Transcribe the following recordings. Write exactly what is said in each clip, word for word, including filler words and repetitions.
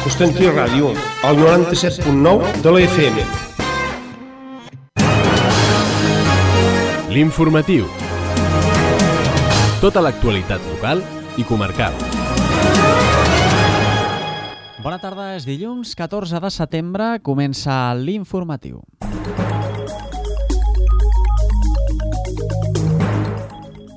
Constantí Ràdio, al noranta-set punt nou de la F M. L'informatiu. Tota l'actualitat local i comarcal. Bona tarda, és dilluns catorze de setembre, comença l'informatiu.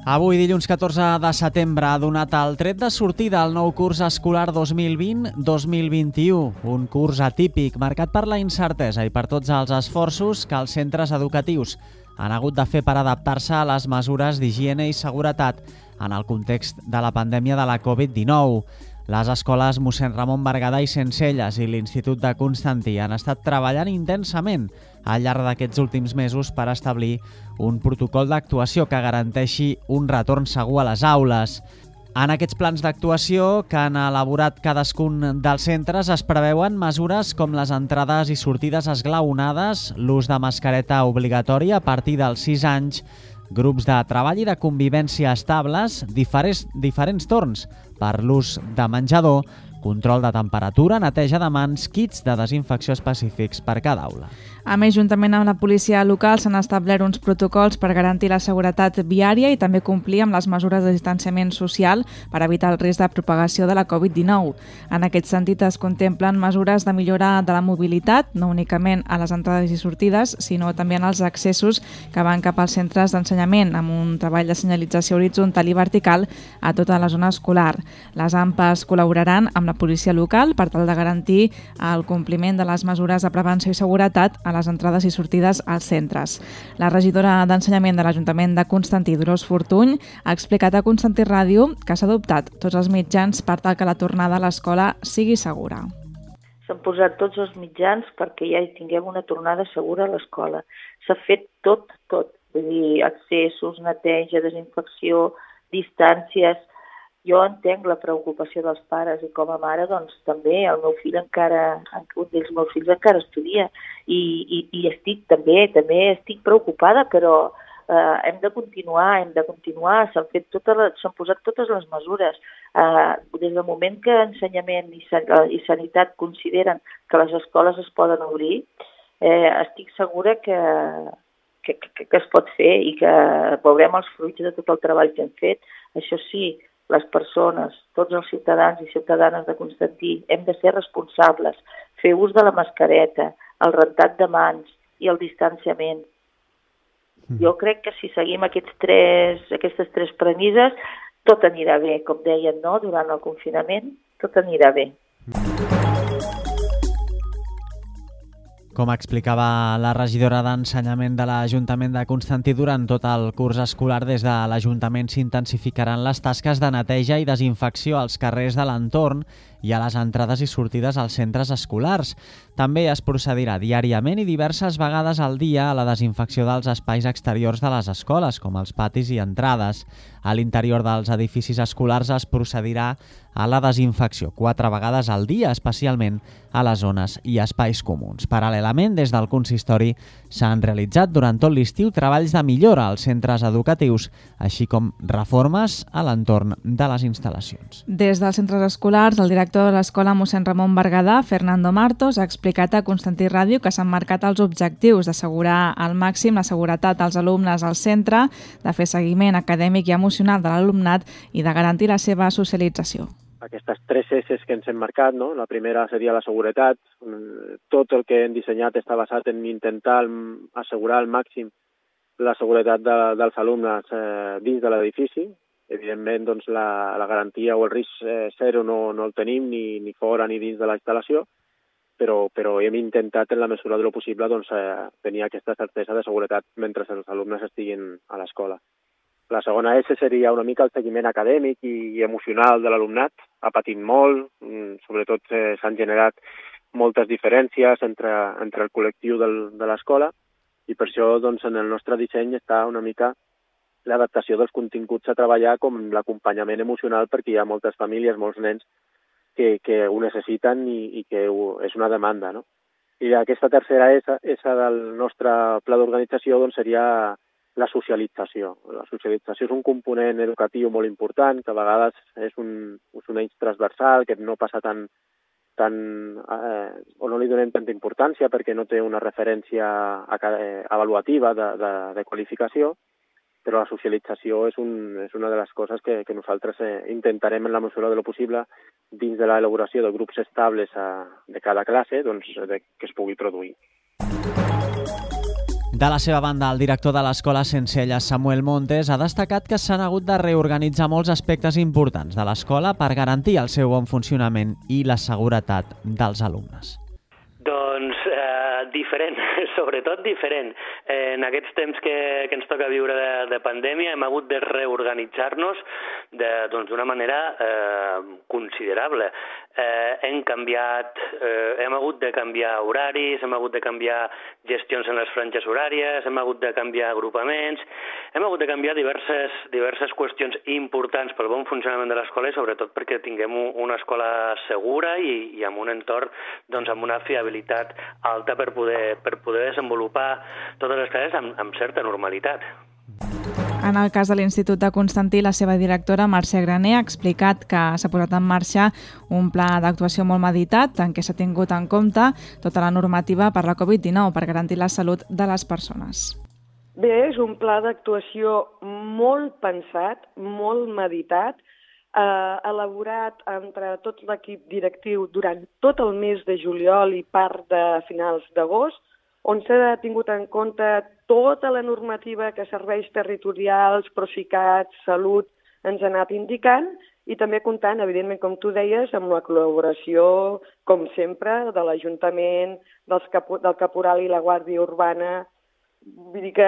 Avui, dilluns catorze de setembre, ha donat el tret de sortida al nou curs escolar dos mil vint dos mil vint-i-u, un curs atípic marcat per la incertesa i per tots els esforços que els centres educatius han hagut de fer per adaptar-se a les mesures d'higiene i seguretat en el context de la pandèmia de la covid dinou. Les escoles Mossèn Ramon Berguedà i Centcelles i l'Institut de Constantí han estat treballant intensament al llarg d'aquests últims mesos per establir un protocol d'actuació que garanteixi un retorn segur a les aules. En aquests plans d'actuació que han elaborat cadascun dels centres es preveuen mesures com les entrades i sortides esglaonades, l'ús de mascareta obligatòria a partir dels sis anys, grups de treball i de convivència estables, diferents, diferents torns per l'ús de menjador, control de temperatura, neteja de mans, kits de desinfecció específics per cada aula. A més, juntament amb la policia local, s'han establert uns protocols per garantir la seguretat viària i també complir amb les mesures de distanciament social per evitar el risc de propagació de la covid dinou. En aquest sentit, es contemplen mesures de millora de la mobilitat, no únicament a les entrades i sortides, sinó també en els accessos que van cap als centres d'ensenyament, amb un treball de senyalització horitzontal i vertical a tota la zona escolar. Les A M P Es col·laboraran amb la policia local per tal de garantir el compliment de les mesures de prevenció i seguretat a les entrades i sortides als centres. La regidora d'Ensenyament de l'Ajuntament de Constantí, Dolors Fortuny, ha explicat a Constantí Ràdio que s'ha adoptat tots els mitjans per tal que la tornada a l'escola sigui segura. S'han posat tots els mitjans perquè ja hi tinguem una tornada segura a l'escola. S'ha fet tot, tot. Vull dir, accessos, neteja, desinfecció, distàncies. Jo entenc la preocupació dels pares i com a mare, doncs també el meu fill encara, un dels meus fills encara estudia i, i, i estic també, també estic preocupada, però eh, hem de continuar, hem de continuar, s'han fet totes les, s'han posat totes les mesures. Eh, des del moment que Ensenyament i, i Sanitat consideren que les escoles es poden obrir, eh, estic segura que, que, que, que es pot fer i que veurem els fruits de tot el treball que hem fet. Això sí, les persones, tots els ciutadans i ciutadanes de Constantí, hem de ser responsables, fer ús de la mascareta, el rentat de mans i el distanciament. Mm. Jo crec que si seguim aquests tres, aquestes tres premisses, tot anirà bé, com deien, no? Durant el confinament, tot anirà bé. Com explicava la regidora d'Ensenyament de l'Ajuntament de Constantí, durant tot el curs escolar des de l'Ajuntament s'intensificaran les tasques de neteja i desinfecció als carrers de l'entorn i a les entrades i sortides als centres escolars. També es procedirà diàriament i diverses vegades al dia a la desinfecció dels espais exteriors de les escoles, com els patis i entrades. A l'interior dels edificis escolars es procedirà a la desinfecció quatre vegades al dia, especialment a les zones i espais comuns. Paral·lelament, des del consistori s'han realitzat durant tot l'estiu treballs de millora als centres educatius, així com reformes a l'entorn de les instal·lacions. Des dels centres escolars, el director de l'Escola Mossèn Ramon Berguedà, Fernando Martos, ha explicat a Constantí Ràdio que s'han marcat els objectius d'assegurar al màxim la seguretat dels alumnes al centre, de fer seguiment acadèmic i emocional de l'alumnat i de garantir la seva socialització. Aquestes tres esses que ens hem marcat, no? La primera seria la seguretat. Tot el que hem dissenyat està basat en intentar assegurar al màxim la seguretat de, dels alumnes eh, dins de l'edifici. Evidentment, doncs, la, la garantia o el risc eh, zero no, no el tenim ni, ni fora ni dins de la instal·lació, però, però hem intentat en la mesura del possible doncs, eh, tenir aquesta certesa de seguretat mentre els alumnes estiguin a l'escola. La segona S seria una mica el seguiment acadèmic i emocional de l'alumnat. Ha patit molt, sobretot eh, s'han generat moltes diferències entre, entre el col·lectiu del, de l'escola i per això doncs, en el nostre disseny està una mica l'adaptació dels continguts a treballar com l'acompanyament emocional perquè hi ha moltes famílies, molts nens que, que ho necessiten i, i que ho, és una demanda, no? I aquesta tercera S, S del nostre pla d'organització doncs, seria la socialització. La socialització és un component educatiu molt important, que a vegades és un, és un eix transversal, que no passa tant tant, eh, o no li donem tanta importància perquè no té una referència avaluativa de, de, de qualificació, però la socialització és, un, és una de les coses que, que nosaltres eh, intentarem en la mesura de lo possible dins de l'elaboració de grups estables a, de cada classe doncs, de, que es pugui produir. De la seva banda, el director de l'Escola Sencelles, Samuel Montes, ha destacat que s'han hagut de reorganitzar molts aspectes importants de l'escola per garantir el seu bon funcionament i la seguretat dels alumnes. Doncs eh, diferent, sobretot diferent. Eh, en aquests temps que, que ens toca viure de, de pandèmia hem hagut de reorganitzar-nos d'una doncs, manera eh, considerable. Eh, hem canviat, eh, hem hagut de canviar horaris, hem hagut de canviar gestions en les franges horàries, hem hagut de canviar agrupaments, hem hagut de canviar diverses, diverses qüestions importants pel bon funcionament de l'escola i sobretot perquè tinguem una escola segura i, i amb un entorn doncs, amb una fiabilitat alta per poder, per poder desenvolupar totes les classes amb, amb certa normalitat. En el cas de l'Institut de Constantí, la seva directora, Mercè Graner, ha explicat que s'ha posat en marxa un pla d'actuació molt meditat en què s'ha tingut en compte tota la normativa per la covid dinou per garantir la salut de les persones. Bé, és un pla d'actuació molt pensat, molt meditat, eh, elaborat entre tot l'equip directiu durant tot el mes de juliol i part de finals d'agost, on s'ha tingut en compte tota la normativa que serveis territorials, Procicat, Salut, ens ha anat indicant i també comptant, evidentment, com tu deies, amb la col·laboració, com sempre, de l'Ajuntament, del Caporal i la Guàrdia Urbana. Vull dir que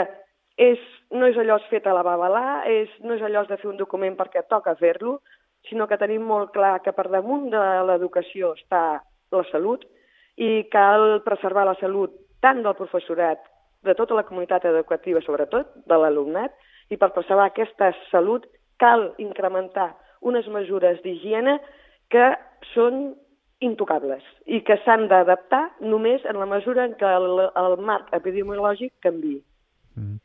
és, no és allò fet a la babalà, és, no és allò de fer un document perquè toca fer-lo, sinó que tenim molt clar que per damunt de l'educació està la salut i cal preservar la salut tant del professorat, de tota la comunitat educativa, sobretot, de l'alumnat, i per preservar aquesta salut cal incrementar unes mesures d'higiene que són intocables i que s'han d'adaptar només en la mesura en què el, el marc epidemiològic canviï. Mm.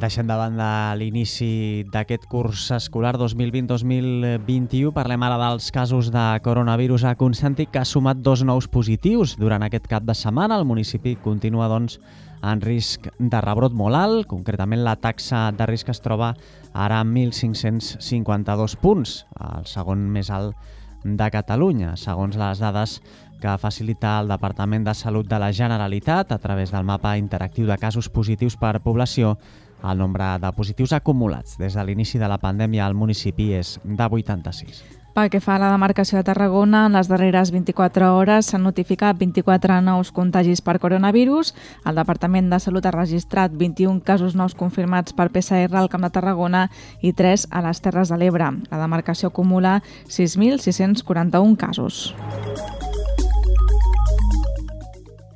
Deixem de banda l'inici d'aquest curs escolar dos mil vint dos mil vint-i-u. Parlem ara dels casos de coronavirus a Constantí, que ha sumat dos nous positius durant aquest cap de setmana. El municipi continua, doncs, en risc de rebrot molt alt. Concretament, la taxa de risc es troba ara en mil cinc-cents cinquanta-dos punts, el segon més alt de Catalunya, segons les dades que facilita el Departament de Salut de la Generalitat a través del mapa interactiu de casos positius per població. El nombre de positius acumulats des de l'inici de la pandèmia al municipi és de vuitanta-sis. Pel que fa a la demarcació de Tarragona, en les darreres vint-i-quatre hores s'han notificat vint-i-quatre nous contagis per coronavirus. El Departament de Salut ha registrat vint-i-un casos nous confirmats per P C R al Camp de Tarragona i tres a les Terres de l'Ebre. La demarcació acumula sis mil sis-cents quaranta-un casos.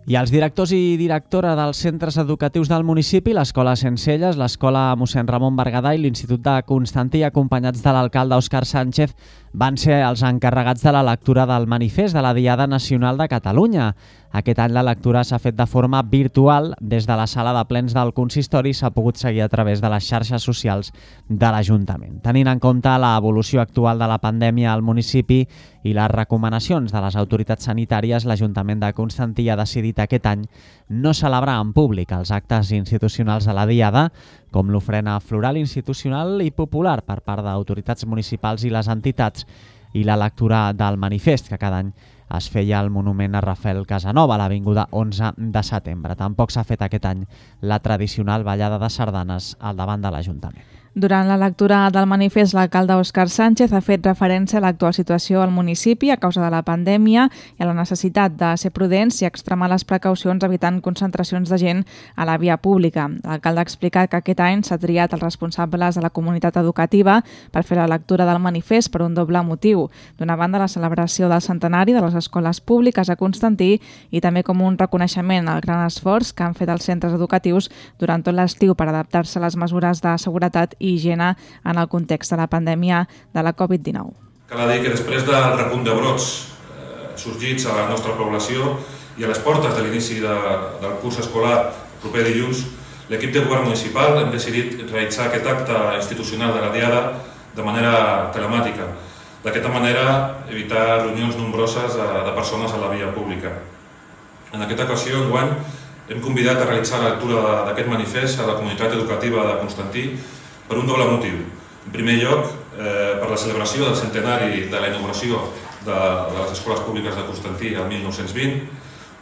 I els directors i directora dels centres educatius del municipi, l'Escola Sencelles, l'Escola Mossèn Ramon Berguedà i l'Institut de Constantí, acompanyats de l'alcalde Òscar Sánchez, van ser els encarregats de la lectura del manifest de la Diada Nacional de Catalunya. Aquest any la lectura s'ha fet de forma virtual des de la sala de plens del consistori i s'ha pogut seguir a través de les xarxes socials de l'Ajuntament. Tenint en compte l'evolució actual de la pandèmia al municipi i les recomanacions de les autoritats sanitàries, l'Ajuntament de Constantí ha decidit aquest any no celebrar en públic els actes institucionals de la Diada, com l'ofrena floral institucional i popular per part d'autoritats municipals i les entitats, i la lectura del manifest, que cada any es feia al monument a Rafael Casanova, a l'avinguda onze de setembre. Tampoc s'ha fet aquest any la tradicional ballada de sardanes al davant de l'Ajuntament. Durant la lectura del manifest, l'alcalde Òscar Sánchez ha fet referència a l'actual situació al municipi a causa de la pandèmia i a la necessitat de ser prudents i extremar les precaucions evitant concentracions de gent a la via pública. L'alcalde ha explicat que aquest any s'ha triat els responsables de la comunitat educativa per fer la lectura del manifest per un doble motiu. D'una banda, la celebració del centenari de les escoles públiques a Constantí i també com un reconeixement al gran esforç que han fet els centres educatius durant tot l'estiu per adaptar-se a les mesures de seguretat i higiene en el context de la pandèmia de la covid dinou. Cal dir que després del repunt de brots eh, sorgits a la nostra població i a les portes de l'inici de, del curs escolar proper dilluns, l'equip de govern municipal hem decidit realitzar aquest acte institucional de la Diada de manera telemàtica. D'aquesta manera, evitar reunions nombroses de persones a la via pública. En aquesta ocasió, enguany, hem convidat a realitzar la lectura d'aquest manifest a la comunitat educativa de Constantí per un doble motiu. En primer lloc, per la celebració del centenari de la inauguració de les escoles públiques de Constantí el mil nou-cents vint,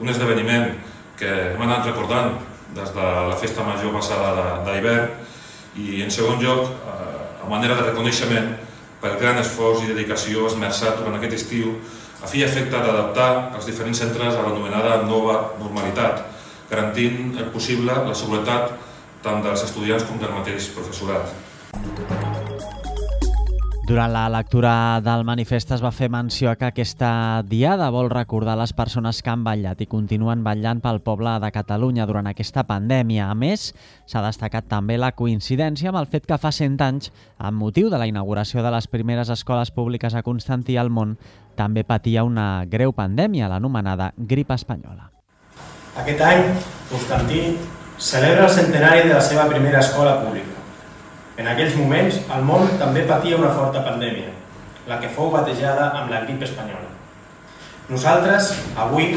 un esdeveniment que hem anat recordant des de la festa major passada d'hivern, i en segon lloc, a manera de reconeixement pel gran esforç i dedicació esmerçat durant aquest estiu a fi i efecte d'adaptar els diferents centres a l'anomenada nova normalitat, garantint el possible la seguretat tant dels estudiants com del mateix professorat. Durant la lectura del manifest es va fer menció que aquesta diada vol recordar les persones que han vetllat i continuen vetllant pel poble de Catalunya durant aquesta pandèmia. A més, s'ha destacat també la coincidència amb el fet que fa cent anys, amb motiu de la inauguració de les primeres escoles públiques a Constantí al món, també patia una greu pandèmia, l'anomenada grip espanyola. Aquest any, Constantí celebra el centenari de la seva primera escola pública. En aquells moments, el món també patia una forta pandèmia, la que fou batejada amb la grip espanyola. Nosaltres, avui,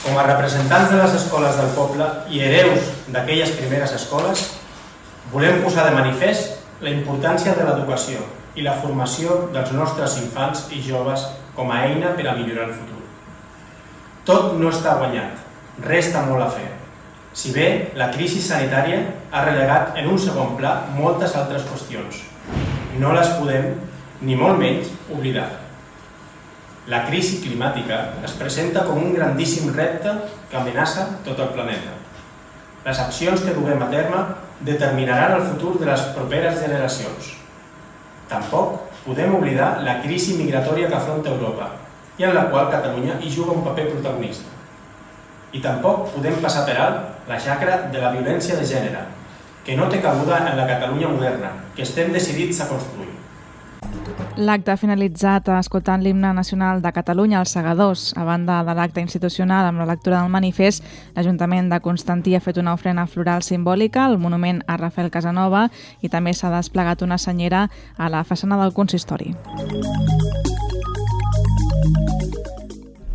com a representants de les escoles del poble i hereus d'aquelles primeres escoles, volem posar de manifest la importància de l'educació i la formació dels nostres infants i joves com a eina per a millorar el futur. Tot no està guanyat, resta molt a fer. Si bé la crisi sanitària ha relegat en un segon pla moltes altres qüestions, no les podem, ni molt menys, oblidar. La crisi climàtica es presenta com un grandíssim repte que amenaça tot el planeta. Les accions que duguem a terme determinaran el futur de les properes generacions. Tampoc podem oblidar la crisi migratòria que afronta Europa i en la qual Catalunya hi juga un paper protagonista. I tampoc podem passar per alt la xacra de la violència de gènere, que no té cabuda en la Catalunya moderna, que estem decidits a construir. L'acte ha finalitzat escoltant l'himne nacional de Catalunya, els Segadors. A banda de l'acte institucional amb la lectura del manifest, l'Ajuntament de Constantí ha fet una ofrena floral simbòlica al monument a Rafael Casanova i també s'ha desplegat una senyera a la façana del consistori.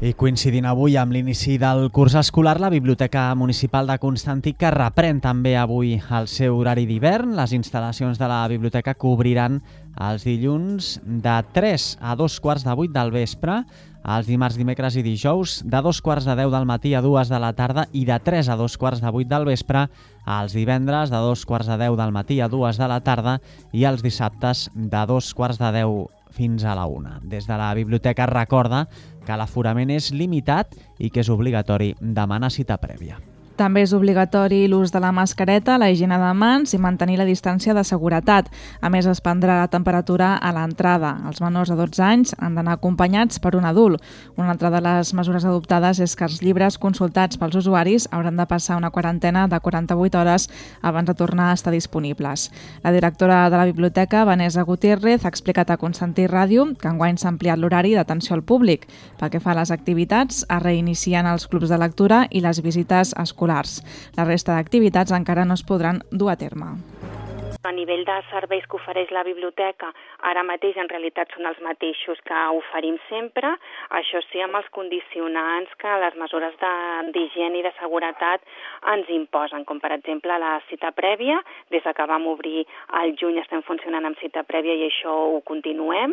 I coincidint avui amb l'inici del curs escolar, la Biblioteca Municipal de Constantí, que reprèn també avui el seu horari d'hivern. Les instal·lacions de la biblioteca cobriran els dilluns de tres a dos quarts de vuit del vespre, els dimarts, dimecres i dijous de dos quarts de deu del matí a dues de la tarda i de tres a dos quarts de vuit del vespre, els divendres de dos quarts de deu del matí a dues de la tarda i els dissabtes de dos quarts de deu fins a la una. Des de la biblioteca recorda que l'aforament és limitat i que és obligatori demanar cita prèvia. També és obligatori l'ús de la mascareta, la higiene de mans i mantenir la distància de seguretat. A més, es prendrà la temperatura a l'entrada. Els menors de dotze anys han d'anar acompanyats per un adult. Una altra de les mesures adoptades és que els llibres consultats pels usuaris hauran de passar una quarantena de quaranta-vuit hores abans de tornar a estar disponibles. La directora de la biblioteca, Vanessa Gutiérrez, ha explicat a Constantí Ràdio que enguany s'ha ampliat l'horari d'atenció al públic. Pel que fa a les activitats, es reinicien els clubs de lectura i les visites escolars. La resta d'activitats encara no es podran dur a terme. A nivell de serveis que ofereix la biblioteca, ara mateix en realitat són els mateixos que oferim sempre, això sí amb els condicionants que les mesures d'higiene i de seguretat ens imposen, com per exemple la cita prèvia. Des que vam obrir al juny estem funcionant amb cita prèvia i això ho continuem.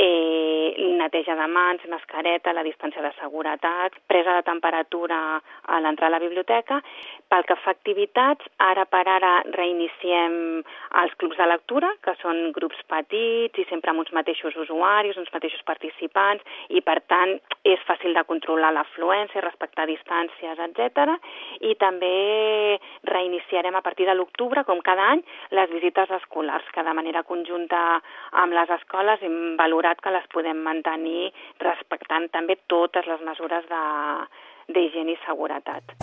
Eh, neteja de mans, mascareta, la distància de seguretat, presa de temperatura a l'entrar a la biblioteca. Pel que fa a activitats, ara per ara reiniciem els clubs de lectura, que són grups petits i sempre amb uns mateixos usuaris, uns mateixos participants, i per tant és fàcil de controlar l'afluència, respectar distàncies, etcètera. I també reiniciarem a partir de l'octubre, com cada any, les visites escolars, que de manera conjunta amb les escoles hem valorat que les podem mantenir respectant també totes les mesures d'higiene i seguretat.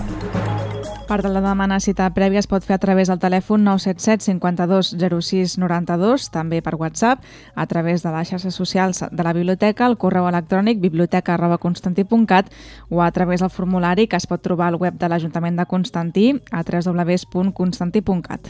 Per de la demanar cita prèvia es pot fer a través del telèfon nou set set cinquanta-dos zero sis noranta-dos, també per WhatsApp, a través de les xarxes socials de la biblioteca, el correu electrònic biblioteca arroba constantí punt cat o a través del formulari que es pot trobar al web de l'Ajuntament de Constantí a w w w punt constantí punt cat.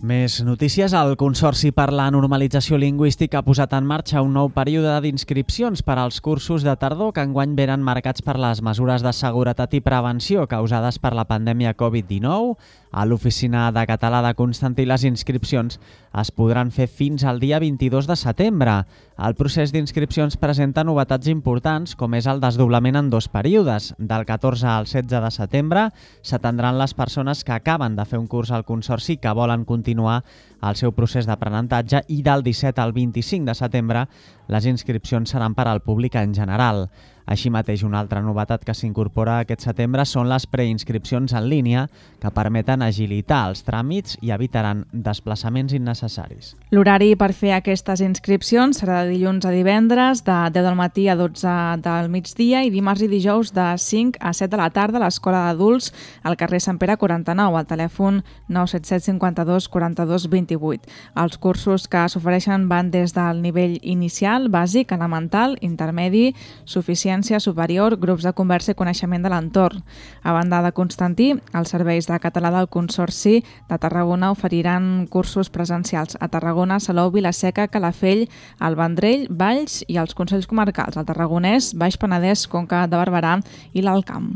Més notícies. El Consorci per la Normalització Lingüística ha posat en marxa un nou període d'inscripcions per als cursos de tardor que enguany venen marcats per les mesures de seguretat i prevenció causades per la pandèmia covid dinou. A l'Oficina de Català de Constantí les inscripcions es podran fer fins al dia vint-i-dos de setembre. El procés d'inscripcions presenta novetats importants, com és el desdoblament en dos períodes. Del catorze al setze de setembre s'atendran les persones que acaben de fer un curs al Consorci que volen continuar el seu procés d'aprenentatge, i del disset al vint-i-cinc de setembre les inscripcions seran per al públic en general. Així mateix, una altra novetat que s'incorpora aquest setembre són les preinscripcions en línia, que permeten agilitar els tràmits i evitaran desplaçaments innecessaris. L'horari per fer aquestes inscripcions serà de dilluns a divendres, de deu del matí a dotze del migdia, i dimarts i dijous de cinc a set de la tarda a l'Escola d'Adults al carrer Sant Pere quaranta-nou, al telèfon nou set set cinquanta-dos quaranta-dos vint-i-vuit. Els cursos que s'ofereixen van des del nivell inicial, bàsic, elemental, intermedi, suficient, superior, grups de conversa i coneixement de l'entorn. A banda de Constantí, els serveis de català del Consorci de Tarragona oferiran cursos presencials a Tarragona, Salou, Vila-seca, Calafell, el Vendrell, Valls i els Consells Comarcals, el Tarragonès, Baix Penedès, Conca de Barberà i l'Alt Camp.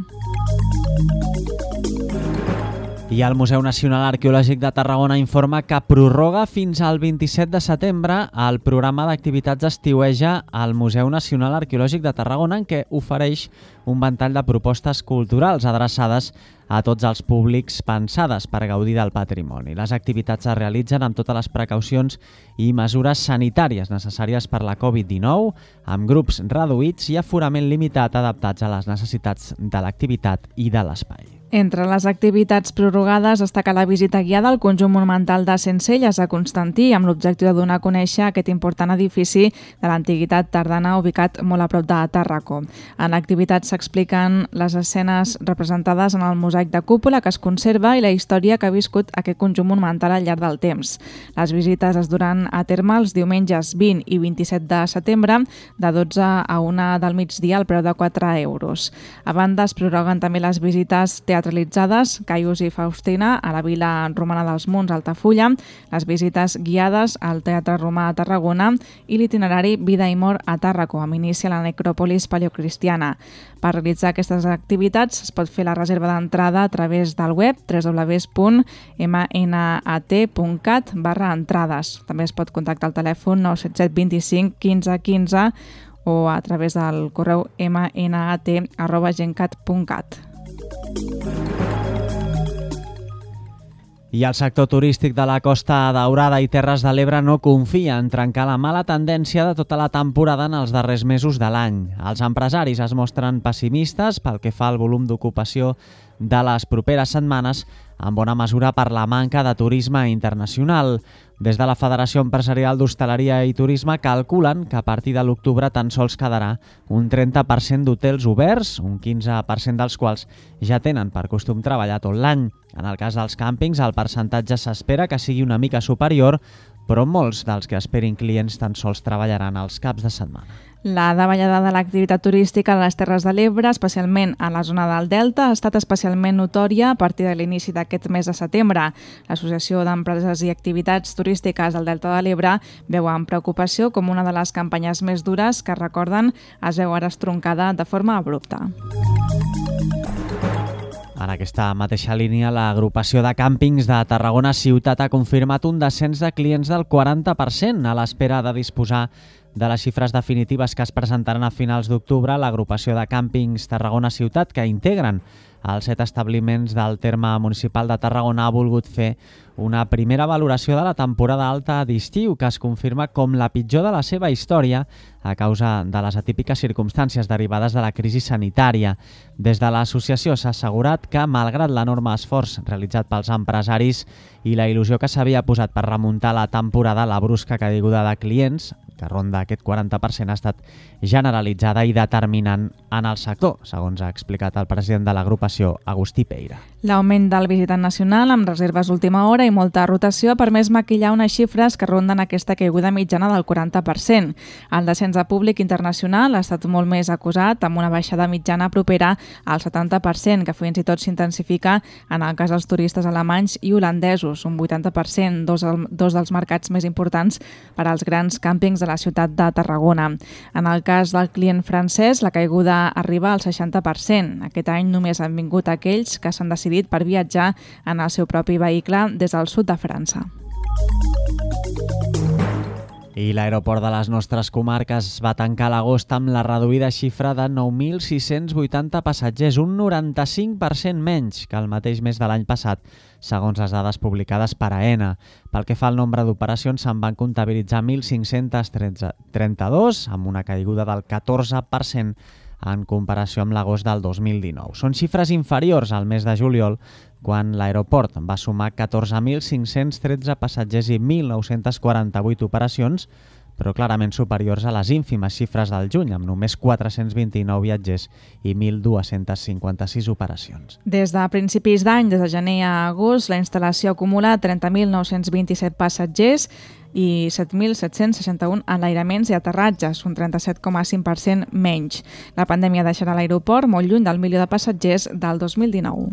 I el Museu Nacional Arqueològic de Tarragona informa que prorroga fins al vint-i-set de setembre el programa d'activitats estiueja al Museu Nacional Arqueològic de Tarragona, en què ofereix un ventall de propostes culturals adreçades a tots els públics pensades per gaudir del patrimoni. Les activitats es realitzen amb totes les precaucions i mesures sanitàries necessàries per la covid dinou, amb grups reduïts i aforament limitat adaptats a les necessitats de l'activitat i de l'espai. Entre les activitats prorrogades destaca la visita guiada al conjunt monumental de Sencelles a Constantí, amb l'objectiu de donar a conèixer aquest important edifici de l'antiguitat tardana ubicat molt a prop de Tàrraco. En l'activitat s'expliquen les escenes representades en el mosaic de cúpula que es conserva i la història que ha viscut aquest conjunt monumental al llarg del temps. Les visites es duran a terme els diumenges vint i vint-i-set de setembre de dotze a una del migdia al preu de quatre euros. A banda, es prorroguen també les visites teatrals teatralitzades Caius i Faustina a la Vila Romana dels Munts, Altafulla, les visites guiades al Teatre Romà a Tarragona i l'itinerari Vida i Mort a Tàrraco, amb inici a la necròpolis paleocristiana. Per realitzar aquestes activitats es pot fer la reserva d'entrada a través del web w w w punt m n a t punt cat barra entrades. També es pot contactar al telèfon nou set set vint-i-cinc quinze quinze o a través del correu m n a t arroba gencat punt cat. I el sector turístic de la Costa Daurada i Terres de l'Ebre no confia en trencar la mala tendència de tota la temporada en els darrers mesos de l'any. Els empresaris es mostren pessimistes pel que fa al volum d'ocupació de les properes setmanes, en bona mesura per la manca de turisme internacional. Des de la Federació Empresarial d'Hostaleria i Turisme calculen que a partir de l'octubre tan sols quedarà un trenta per cent d'hotels oberts, un quinze per cent dels quals ja tenen per costum treballar tot l'any. En el cas dels càmpings, el percentatge s'espera que sigui una mica superior, però molts dels que esperin clients tan sols treballaran els caps de setmana. La davallada de l'activitat turística a les Terres de l'Ebre, especialment a la zona del Delta, ha estat especialment notòria a partir de l'inici d'aquest mes de setembre. L'Associació d'Empreses i Activitats Turístiques del Delta de l'Ebre veu amb preocupació com una de les campanyes més dures que recorden es veu ara estroncada de forma abrupta. En aquesta mateixa línia, l'agrupació de càmpings de Tarragona Ciutat ha confirmat un descens de clients del quaranta per cent a l'espera de disposar de les xifres definitives que es presentaran a finals d'octubre. L'agrupació de càmpings Tarragona Ciutat, que integren els set establiments del terme municipal de Tarragona, ha volgut fer una primera valoració de la temporada alta d'estiu, que es confirma com la pitjor de la seva història a causa de les atípiques circumstàncies derivades de la crisi sanitària. Des de l'associació s'ha assegurat que, malgrat l'enorme esforç realitzat pels empresaris i la il·lusió que s'havia posat per remuntar la temporada, la brusca caiguda de clients, que ronda aquest quaranta per cent, ha estat generalitzada i determinant en el sector, segons ha explicat el president de l'agrupació, Agustí Peira. L'augment del visitant nacional amb reserves d'última hora i molta rotació ha permès maquillar unes xifres que ronden aquesta caiguda mitjana del quaranta per cent. El descens de públic internacional ha estat molt més acusat, amb una baixada mitjana propera al setanta per cent, que fins i tot s'intensifica en el cas dels turistes alemanys i holandesos, un vuitanta per cent, dos, dos dels mercats més importants per als grans càmpings de la ciutat de Tarragona. En el cas del client francès, la caiguda arriba al seixanta per cent. Aquest any només han vingut aquells que s'han decidit per viatjar en el seu propi vehicle des del sud de França. I l'aeroport de les nostres comarques va tancar l'agost amb la reduïda xifra de nou mil sis-cents vuitanta passatgers, un noranta-cinc per cent menys que el mateix mes de l'any passat, segons les dades publicades per Aena. Pel que fa al nombre d'operacions, se'n van comptabilitzar mil cinc-cents trenta-dos, amb una caiguda del catorze per cent en comparació amb l'agost del dos mil dinou. Són xifres inferiors al mes de juliol, quan l'aeroport va sumar catorze mil cinc-cents tretze passatgers i mil nou-cents quaranta-vuit operacions, però clarament superiors a les ínfimes xifres del juny, amb només quatre-cents vint-i-nou viatgers i mil dos-cents cinquanta-sis operacions. Des de principis d'any, des de gener a agost, la instal·lació acumula trenta mil nou-cents vint-i-set passatgers i set mil set-cents seixanta-un enlairaments i aterratges, un trenta-set coma cinc per cent menys. La pandèmia deixarà l'aeroport molt lluny del milió de passatgers del dos mil dinou.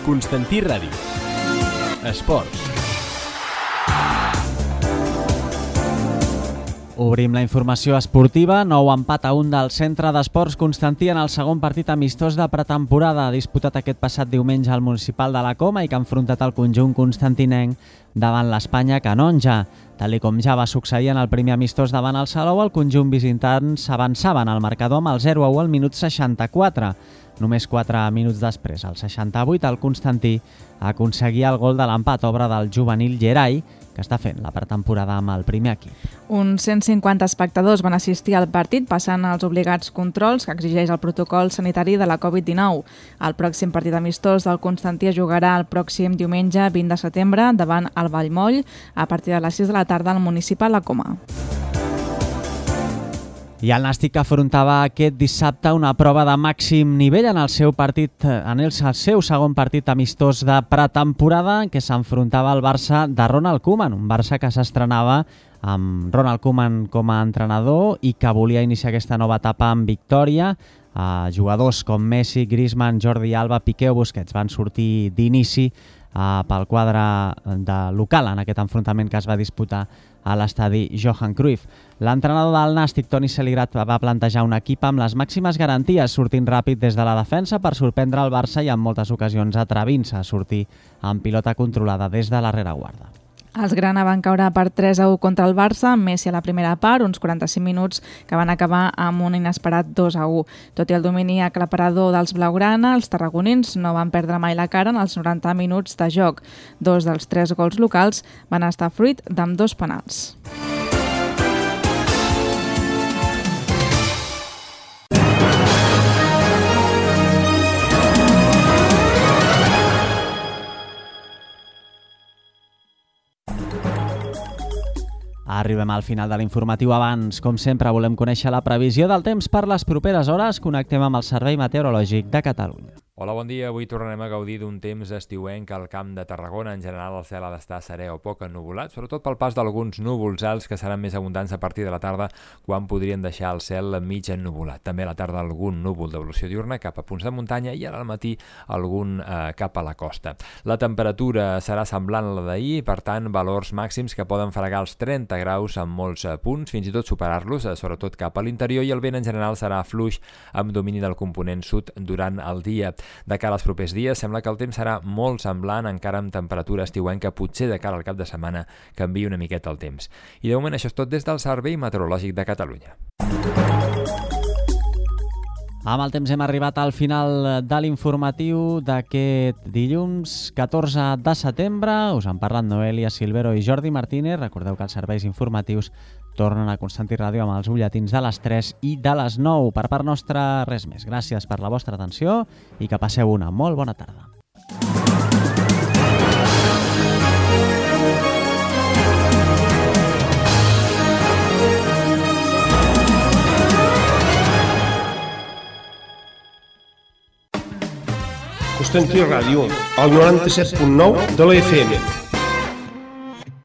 Constantí Ràdio. Esports. Obrim la informació esportiva. Nou empat a un del Centre d'Esports Constantí en el segon partit amistós de pretemporada, disputat aquest passat diumenge al Municipal de la Coma i que ha enfrontat el conjunt constantinenc davant l'Espanya Canonja. Tal com ja va succeir en el primer amistós davant el Salou, el conjunt visitant s'avançava en el marcador amb el zero a u al minut seixanta-quatre. Només quatre minuts després, al seixanta-vuit, el Constantí aconseguia el gol de l'empat, obra del juvenil Gerai, que està fent la pretemporada amb el primer equip. Uns cent cinquanta espectadors van assistir al partit passant els obligats controls que exigeix el protocol sanitari de la covid dinou. El pròxim partit amistós del Constantí es jugarà el pròxim diumenge vint de setembre davant el Vallmoll a partir de les sis de la tarda al Municipal La Coma. I el Nàstic afrontava aquest dissabte una prova de màxim nivell en el seu partit, en el seu segon partit amistós de pretemporada, en què s'enfrontava al Barça de Ronald Koeman, un Barça que s'estrenava amb Ronald Koeman com a entrenador i que volia iniciar aquesta nova etapa amb victòria. Uh, jugadors com Messi, Griezmann, Jordi Alba, Piqué o Busquets van sortir d'inici uh, pel quadre de local en aquest enfrontament que es va disputar a l'estadi Johan Cruyff. L'entrenador del Nàstic, Toni Celigrat, va plantejar un equip amb les màximes garanties, sortint ràpid des de la defensa per sorprendre el Barça i en moltes ocasions atrevint-se a sortir amb pilota controlada des de la rereguarda. Els grana van caure per tres a u contra el Barça, amb Messi a la primera part, uns quaranta-cinc minuts que van acabar amb un inesperat dos a u. Tot i el domini aclaparador dels blaugrana, els tarragonins no van perdre mai la cara en els noranta minuts de joc. Dos dels tres gols locals van estar fruit d'ambdós penals. Arribem al final de l'informatiu. Abans, com sempre, volem conèixer la previsió del temps per les properes hores. Connectem amb el Servei Meteorològic de Catalunya. Hola, bon dia. Avui tornarem a gaudir d'un temps estiuenc al Camp de Tarragona. En general, el cel ha d'estar serè o poc ennuvolat, sobretot pel pas d'alguns núvols alts que seran més abundants a partir de la tarda, quan podrien deixar el cel mig ennuvolat. També a la tarda algun núvol d'evolució diurna cap a punts de muntanya i ara al matí algun eh, cap a la costa. La temperatura serà semblant a la d'ahir, per tant, valors màxims que poden fregar els trenta graus en molts eh, punts, fins i tot superar-los, eh, sobretot cap a l'interior, i el vent en general serà fluix amb domini del component sud durant el dia. De cara als propers dies, sembla que el temps serà molt semblant, encara amb temperatura estiuenca, potser de cara al cap de setmana canvia una miqueta el temps. I de moment això és tot des del Servei Meteorològic de Catalunya. Amb el temps hem arribat al final de l'informatiu d'aquest dilluns catorze de setembre. Us han parlat Noelia Silvero i Jordi Martínez. Recordeu que els serveis informatius tornen a Constantí Ràdio amb els butlletins de les tres i de les nou. Per part nostra, res més. Gràcies per la vostra atenció i que passeu una molt bona tarda. Constantí Ràdio, al noranta-set punt nou de la F M.